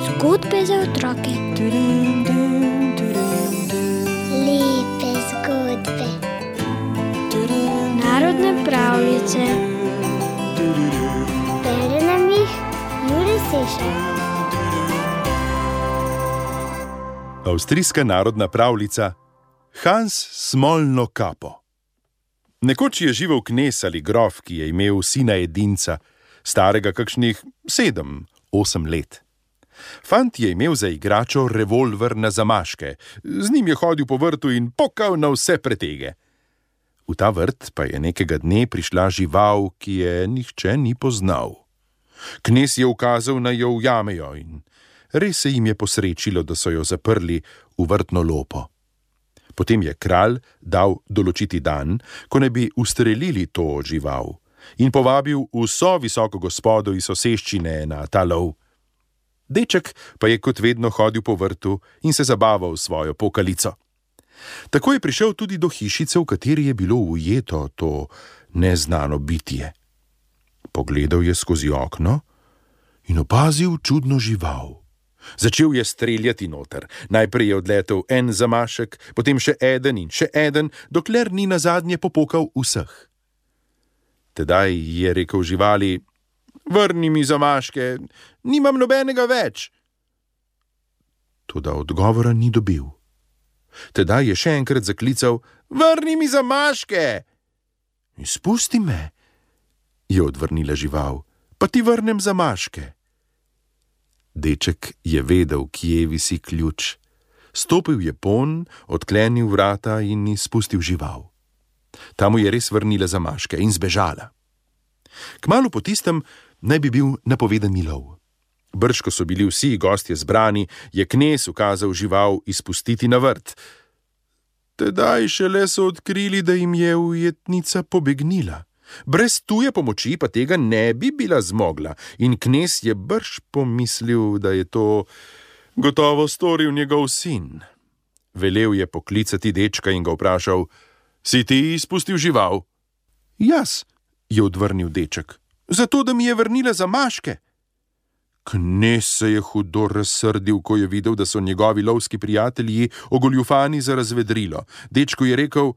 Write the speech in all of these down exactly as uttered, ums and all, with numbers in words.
Zgodbe za otroke. Lepe zgodbe. Narodne pravljice. Bere nam jih Jure Sešar. Avstrijska narodna pravljica Hans s smolno kapo. Nekoč je živel knez ali grof, ki je imel sina edinca, starega kakšnih sedem, osem let. Fant je imel za igračo revolver na zamaške, z njim je hodil po vrtu in pokal na vse pretege. V ta vrt pa je nekega dne prišla žival, ki je nihče ni poznal. Knez je ukazal, naj jo ujamejo, in res se jim je posrečilo, da so jo zaprli v vrtno lopo. Potem je kralj dal določiti dan, ko naj bi ustrelili to žival, in povabil vso visoko gospodo iz soseščine na ta lov. Deček pa je kot vedno hodil po vrtu in se zabaval s svojo pokalico. Tako je prišel tudi do hišice, v kateri je bilo ujeto to neznano bitje. Pogledal je skozi okno in opazil čudno žival. Začel je streljati noter. Najprej je odletel en zamašek, potem še eden in še eden, dokler ni nazadnje popokal vseh. Tedaj je rekel živali: "Vrni mi zamaške, nimam nobenega več." Toda odgovora ni dobil. Tedaj je še enkrat zaklical: "Vrni mi zamaške." "Izpusti me," je odvrnila žival, "pa ti vrnem zamaške." Deček je vedel, kje visi ključ. Stopil je ponj, odklenil vrata in izpustil žival. Ta mu je res vrnila zamaške in zbežala. Kmalu po tistem naj bi bil napovedani lov. Brž, ko so bili vsi gostje zbrani, je knez ukazal žival izpustiti na vrt. Tedaj šele so odkrili, da jim je ujetnica pobegnila. Brez tuje pomoči pa tega ne bi bila zmogla, in knez je brž pomislil, da je to gotovo storil njegov sin. Velel je poklicati dečka in ga vprašal: "Si ti izpustil žival?" "Jaz," je odvrnil deček, "zato da mi je vrnila zamaške." Knez se je hudo razsrdil, ko je videl, da so njegovi lovski prijatelji ogoljufani za razvedrilo. Dečku je rekel: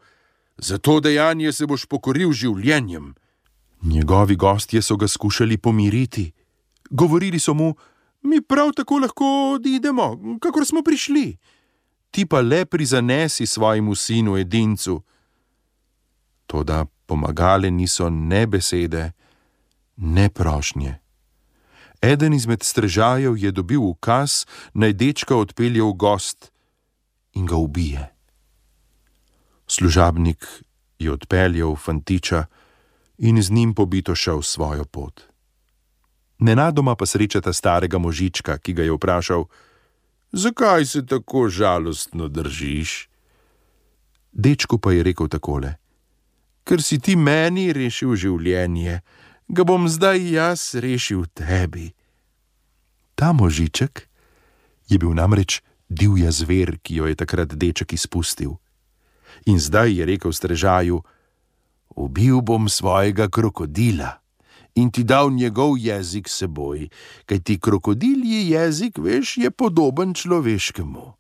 "Za to dejanje se boš pokoril življenjem." Njegovi gostje so ga skušali pomiriti. Govorili so mu: "Mi prav tako lahko odidemo, kakor smo prišli. Ti pa le prizanesi svojemu sinu edincu." Toda pomagale niso ne besede, ne prošnje. Eden izmed strežajev je dobil ukaz, naj dečka odpelje v gost in ga ubije. Služabnik je odpeljal fantiča in z njim pobito šel svojo pot. Nenadoma pa srečata starega možička, ki ga je vprašal: "Zakaj se tako žalostno držiš?" Dečku pa je rekel takole: "Ker si ti meni rešil življenje, ga bom zdaj jaz rešil tebi." Ta možiček je bil namreč divja zver, ki jo je takrat deček izpustil. In zdaj je rekel strežaju: "Ubil bom svojega krokodila in ti dal njegov jezik seboj, kajti krokodilji jezik, veš, je podoben človeškemu."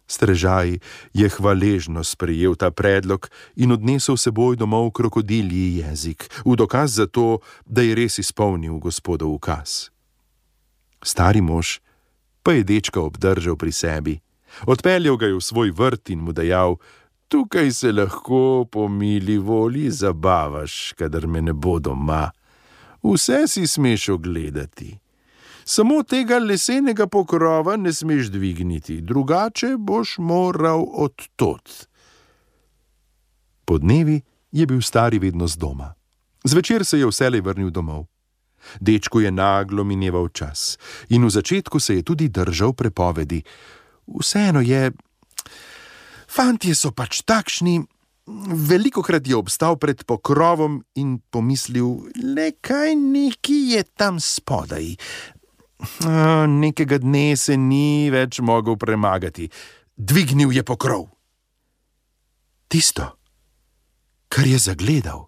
Strežaj je hvaležno sprejel ta predlog in odnesel seboj domov krokodilji jezik, v dokaz za to, da je res izpolnil gospodov ukaz. Stari mož pa je dečka obdržal pri sebi. Odpeljal ga je v svoj vrt in mu dejal: "Tukaj se lahko po mili volji zabavaš, kadar me ne bo doma. Vse si smeš ogledati. Samo tega lesenega pokrova ne smeš dvigniti, drugače boš moral odtot." Podnevi je bil stari vedno z doma. Zvečer se je vselej vrnil domov. Dečku je naglo mineval čas in v začetku se je tudi držal prepovedi. Vseeno je... Fantje so pač takšni. Velikokrat je obstal pred pokrovom in pomislil: "Le kaj neki je tam spodaj." A, nekega dne se ni več mogel premagati. Dvignil je pokrov. Tisto, kar je zagledal,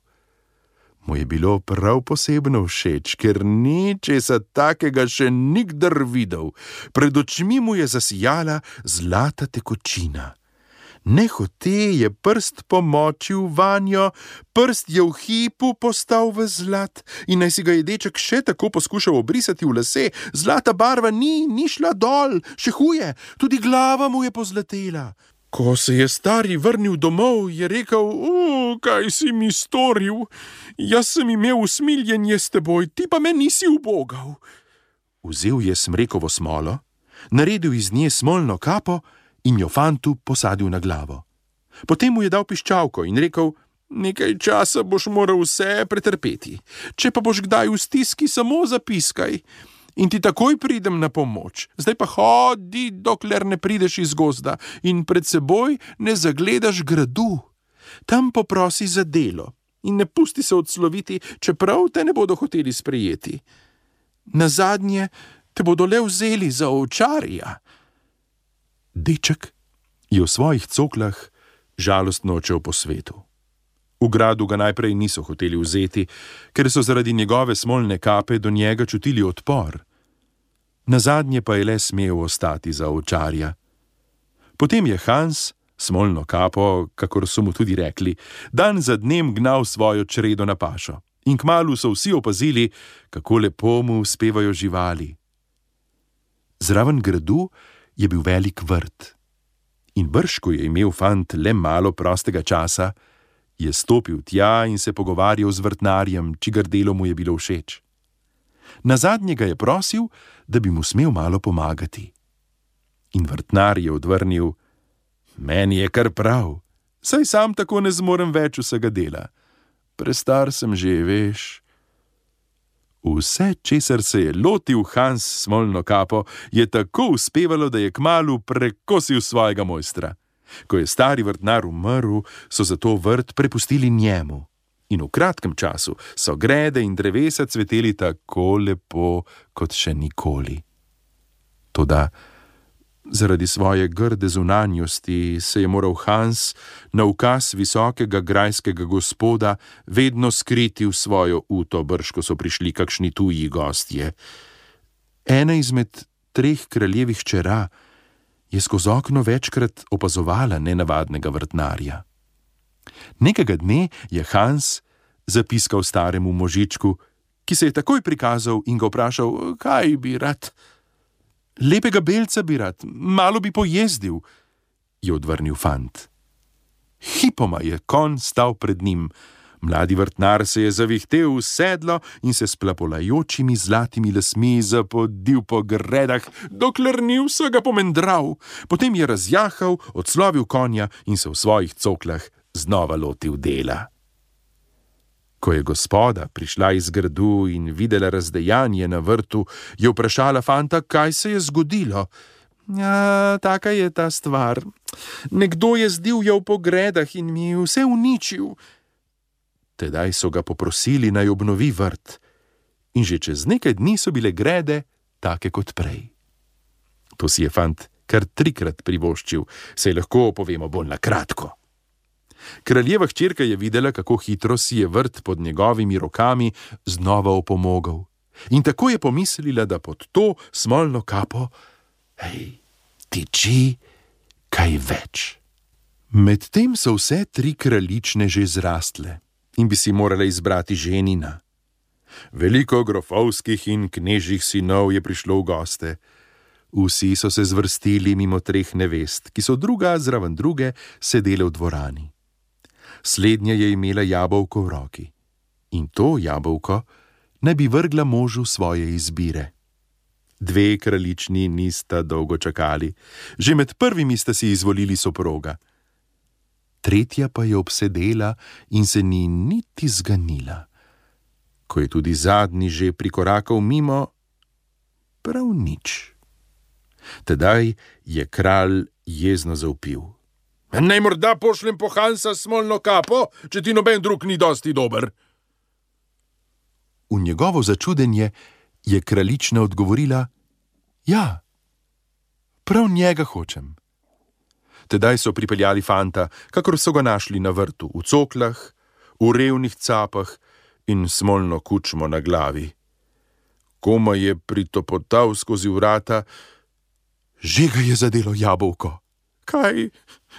mu je bilo prav posebno všeč, ker ni česa takega še nikdar videl. Pred očmi mu je zasijala zlata tekočina. Nehote je prst pomočil vanjo, prst je v hipu postal v zlat in naj si ga je deček še tako poskušal obrisati v lase, zlata barva ni, ni šla dol, še huje, tudi glava mu je pozlatela. Ko se je stari vrnil domov, je rekel: "O, kaj si mi storil? Jaz sem imel usmiljenje s teboj, ti pa me nisi ubogal." Vzel je smrekovo smolo, naredil iz nje smolno kapo in jo fantu posadil na glavo. Potem mu je dal piščalko in rekel: "Nekaj časa boš moral vse pretrpeti. Če pa boš kdaj v stiski, samo zapiskaj in ti takoj pridem na pomoč. Zdaj pa hodi, dokler ne prideš iz gozda in pred seboj ne zagledaš gradu. Tam poprosi za delo in ne pusti se odsloviti, čeprav te ne bodo hoteli sprejeti. Nazadnje te bodo le vzeli za ovčarja." Deček je v svojih coklah žalostno odšel po svetu. V gradu ga najprej niso hoteli vzeti, ker so zaradi njegove smolne kape do njega čutili odpor. Nazadnje pa je le smel ostati za ovčarja. Potem je Hans, smolno kapo, kakor so mu tudi rekli, dan za dnem gnal svojo čredo na pašo. In kmalu so vsi opazili, kako lepo mu uspevajo živali. Zraven gradu je bil velik vrt. In brž, ko je imel fant le malo prostega časa, je stopil tja in se pogovarjal z vrtnarjem, čigar delo mu je bilo všeč. Nazadnje ga je prosil, da bi mu smel malo pomagati. In vrtnar je odvrnil: "Meni je kar prav, saj sam tako ne zmorem več vsega dela. Prestar sem že, veš." Vse, česar se je lotil Hans smolno kapo, je tako uspevalo, da je kmalu prekosil svojega mojstra. Ko je stari vrtnar umrl, so zato vrt prepustili njemu. In v kratkem času so grede in drevesa cveteli tako lepo, kot še nikoli. Toda zaradi svoje grde zunanjosti se je moral Hans na ukaz visokega grajskega gospoda vedno skriti v svojo uto, brž ko so prišli kakšni tuji gostje. Ena izmed treh kraljevih hčera je skozi okno večkrat opazovala nenavadnega vrtnarja. Nekega dne je Hans zapiskal staremu možičku, ki se je takoj prikazal in ga vprašal, kaj bi rad. "Lepega belca bi rad, malo bi pojezdil," je odvrnil fant. Hipoma je konj stal pred njim. Mladi vrtnar se je zavihtel v sedlo in se s plapolajočimi zlatimi lasmi zapodil po gredah, dokler ni vsega pomendral. Potem je razjahal, odslovil konja in se v svojih coklah znova lotil dela. Ko je gospoda prišla iz gradu in videla razdejanje na vrtu, je vprašala fanta, kaj se je zgodilo. "Ja, taka je ta stvar. Nekdo je zdivjal po gredah in mi vse uničil." Tedaj so ga poprosili, naj obnovi vrt. In že čez nekaj dni so bile grede take kot prej. To si je fant kar trikrat privoščil, saj lahko povemo bolj na kratko. Kraljeva hčerka je videla, kako hitro si je vrt pod njegovimi rokami znova opomogel. In tako je pomislila, da pod to smolno kapo, hej, tiči kaj več. Medtem so vse tri kraljične že zrastle in bi si morala izbrati ženina. Veliko grofovskih in knežjih sinov je prišlo v goste. Vsi so se zvrstili mimo treh nevest, ki so druga zraven druge sedele v dvorani. Slednja je imela jabolko v roki in to jabolko naj bi vrgla možu svoje izbire. Dve kraljični nista dolgo čakali, že med prvimi sta si izvolili soproga. Tretja pa je obsedela in se ni niti zganila. Ko je tudi zadnji že prikorakal mimo, prav nič. Tedaj je kralj jezno zavpil. "Naj morda pošljem po Hansa smolno kapo, če ti noben drug ni dosti dober." V njegovo začudenje je kraljična odgovorila, "Ja, prav njega hočem." Tedaj so pripeljali fanta, kakor so ga našli na vrtu, v coklah, v revnih capah in smolno kučmo na glavi. Komaj je pritopotal skozi vrata, že ga je zadelo jabolko. Kaj,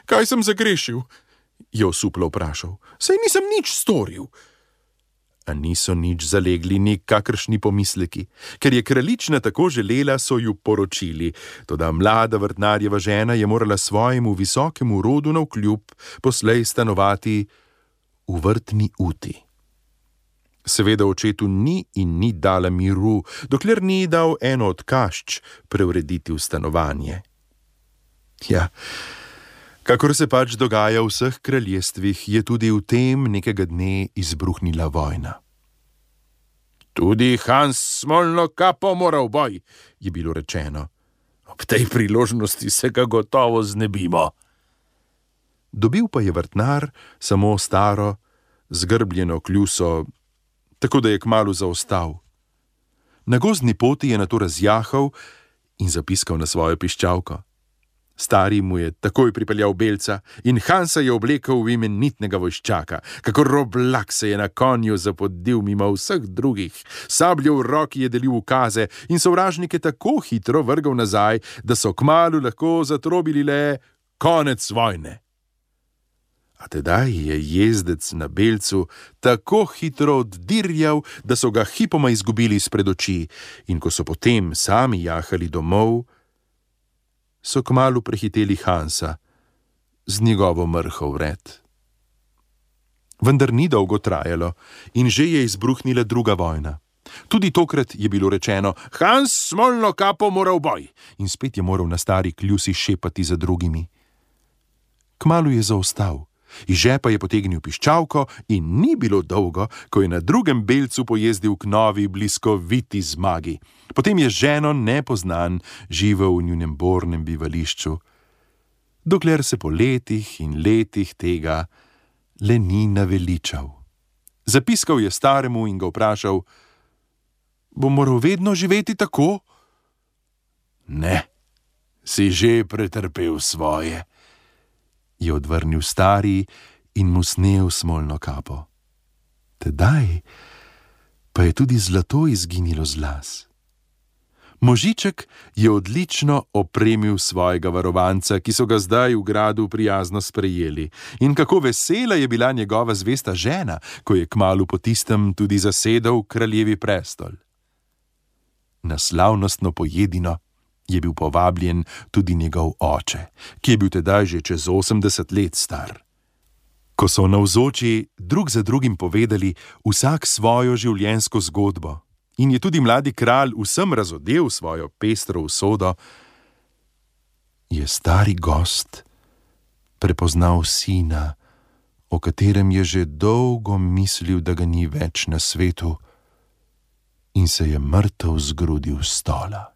kaj sem zagrešil? Je osuplo vprašal. Saj nisem nič storil. A niso nič zalegli nikakršni pomisleki. Ker je kraljična tako želela, so ju poročili. Toda mlada vrtnarjeva žena je morala svojemu visokemu rodu navkljub poslej stanovati v vrtni uti. Seveda očetu ni in ni dala miru, dokler ni dal eno od kašč preurediti v stanovanje. Ja, kakor se pač dogaja v vseh kraljestvih, je tudi v tem nekega dne izbruhnila vojna. Tudi Hans smolno kapo mora v boj, je bilo rečeno. Ob tej priložnosti se ga gotovo znebimo. Dobil pa je vrtnar samo staro, zgrbljeno kljuso, tako da je kmalu zaostal. Na gozdni poti je nato razjahal in zapiskal na svojo piščalko. Stari mu je takoj pripeljal belca in Hansa je oblekel v imenitnega vojščaka, kakor roblak se je na konju zapodil mimo vseh drugih, sabljo v roki je delil ukaze in sovražnike tako hitro vrgal nazaj, da so kmalu lahko zatrobili le konec vojne. A tedaj je jezdec na belcu tako hitro oddirjal, da so ga hipoma izgubili izpred oči, in ko so potem sami jahali domov, so kmalu prehiteli Hansa z njegovo mrho vred. Vendar ni dolgo trajalo in že je izbruhnila druga vojna. Tudi tokrat je bilo rečeno, Hans smolno kapo mora v boj, in spet je moral na stari kljusi šepati za drugimi. Kmalu je zaostal. Iz žepa je potegnil piščalko in ni bilo dolgo, ko je na drugem belcu pojezdil k novi bliskoviti zmagi. Potem je ženo nepoznan živel v njunem bornem bivališču, dokler se po letih in letih tega le ni naveličal. Zapiskal je staremu in ga vprašal, bo moral vedno živeti tako? Ne, si že pretrpel svoje, je odvrnil stari in mu snel smolno kapo. Tedaj pa je tudi zlato izginilo z las. Možiček je odlično opremil svojega varovanca, ki so ga zdaj v gradu prijazno sprejeli, in kako vesela je bila njegova zvesta žena, ko je kmalu po tistem tudi zasedel kraljevi prestol. Na slavnostno pojedino je bil povabljen tudi njegov oče, ki je bil tedaj že čez osemdeset let star. Ko so navzoči drug za drugim povedali vsak svojo življenjsko zgodbo in je tudi mladi kralj vsem razodel svojo pestro usodo, je stari gost prepoznal sina, o katerem je že dolgo mislil, da ga ni več na svetu, in se je mrtev zgrudil s stola.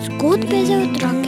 Zgodbe za otroke.